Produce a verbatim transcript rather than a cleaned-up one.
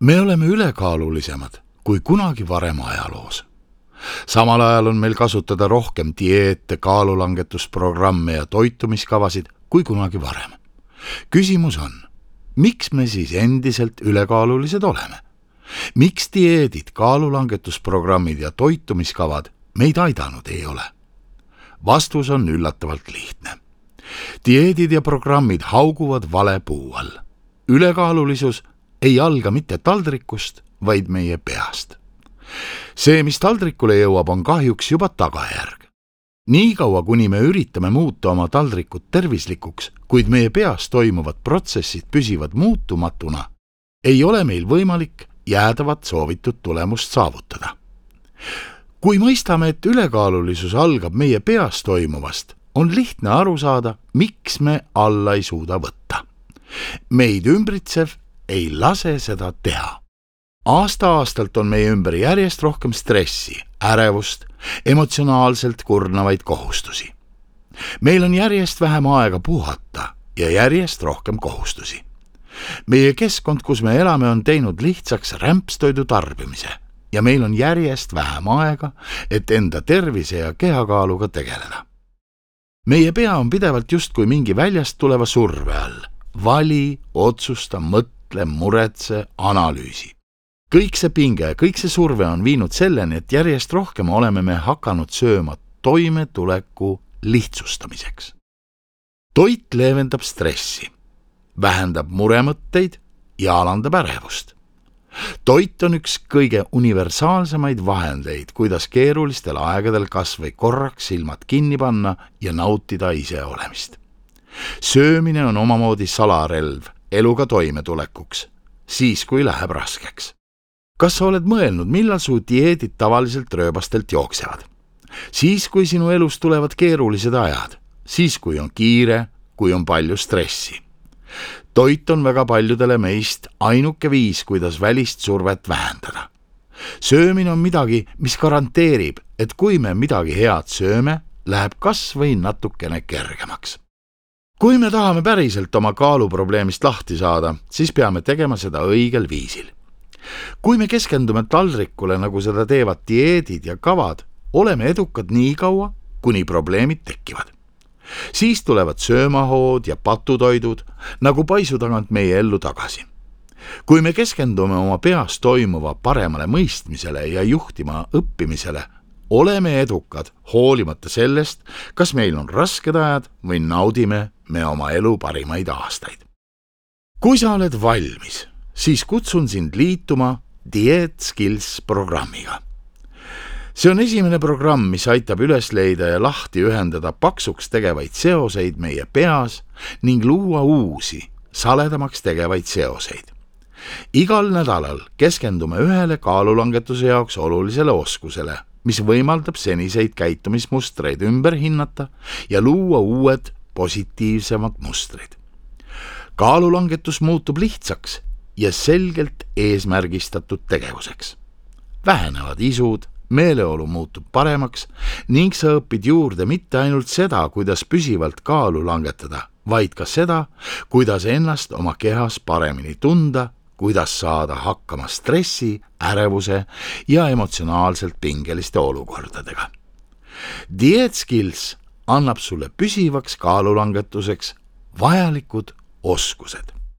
Me oleme ülekaalulisemad kui kunagi varem ajaloos. Samal ajal on meil kasutada rohkem dieete, kaalulangetusprogramme ja toitumiskavasid kui kunagi varem. Küsimus on, miks me siis endiselt ülekaalulised oleme? Miks dieedid, kaalulangetusprogrammid ja toitumiskavad meid aidanud ei ole? Vastus on üllatavalt lihtne. Dieedid ja programmid hauguvad vale puu all. Ülekaalulisus ei alga mitte taldrikust, vaid meie peast. See, mis taldrikule jõuab, on kahjuks juba tagajärg. Nii kaua, kuni me üritame muuta oma taldrikut tervislikuks, kuid meie peas toimuvad protsessid püsivad muutumatuna, ei ole meil võimalik jäädavat soovitud tulemust saavutada. Kui mõistame, et ülekaalulisus algab meie peas toimuvast, on lihtne aru saada, miks me alla ei suuda võtta. Meid ümbritsev ei lase seda teha. Aasta-aastalt on meie ümber järjest rohkem stressi, ärevust, emotsionaalselt kurnavaid kohustusi. Meil on järjest vähem aega puhata ja järjest rohkem kohustusi. Meie keskkond, kus me elame, on teinud lihtsaks rämpstoidu tarbimise ja meil on järjest vähem aega, et enda tervise ja kehakaaluga tegeleda. Meie pea on pidevalt justkui mingi väljast tuleva surve all. Vali, otsusta, mõtle, muretse, analüüsi. Kõik see pinge, kõik see surve on viinud selleni, et järjest rohkem oleme me hakanud sööma toimetuleku lihtsustamiseks. Toit leevendab stressi, vähendab muremõtteid ja alandab ärevust. Toit on üks kõige universaalsemaid vahendeid, kuidas keerulistel aegadel kas või korraks silmad kinni panna ja nautida ise olemist. Söömine on omamoodi salarelv eluga toimetulekuks, siis kui läheb raskeks. Kas sa oled mõelnud, millal su dieedid tavaliselt rööbastelt jooksevad? Siis, kui sinu elus tulevad keerulised ajad, siis, kui on kiire, kui on palju stressi. Toit on väga paljudele meist ainuke viis, kuidas välist survet vähendada. Söömine on midagi, mis garanteerib, et kui me midagi head sööme, läheb kas või natukene kergemaks. Kui me tahame päriselt oma kaaluprobleemist lahti saada, siis peame tegema seda õigel viisil. Kui me keskendume taldrikule, nagu seda teevad dieedid ja kavad, oleme edukad nii kaua, kuni probleemid tekivad. Siis tulevad söömahood ja patutoidud, nagu paisu tagant meie ellu tagasi. Kui me keskendume oma peas toimuva paremale mõistmisele ja juhtima õppimisele, oleme edukad hoolimata sellest, kas meil on rasked ajad või naudime me oma elu parimaid aastaid. Kui sa oled valmis, siis kutsun sind liituma Diet Skills programmiga. See on esimene programm, mis aitab üles leida ja lahti ühendada paksuks tegevaid seoseid meie peas ning luua uusi, saledamaks tegevaid seoseid. Igal nädalal keskendume ühele kaalulangetuse jaoks olulisele oskusele, mis võimaldab seniseid käitumismustreid ümber hinnata ja luua uued positiivsemad mustrid. Kaalulangetus muutub lihtsaks ja selgelt eesmärgistatud tegevuseks. Vähenevad isud, meeleolu muutub paremaks ning sa õpid juurde mitte ainult seda, kuidas püsivalt kaalu langetada, vaid ka seda, kuidas ennast oma kehas paremini tunda, kuidas saada hakkama stressi, ärevuse ja emotsionaalselt pingeliste olukordadega. Diet Skills annab sulle püsivaks kaalulangetuseks vajalikud oskused.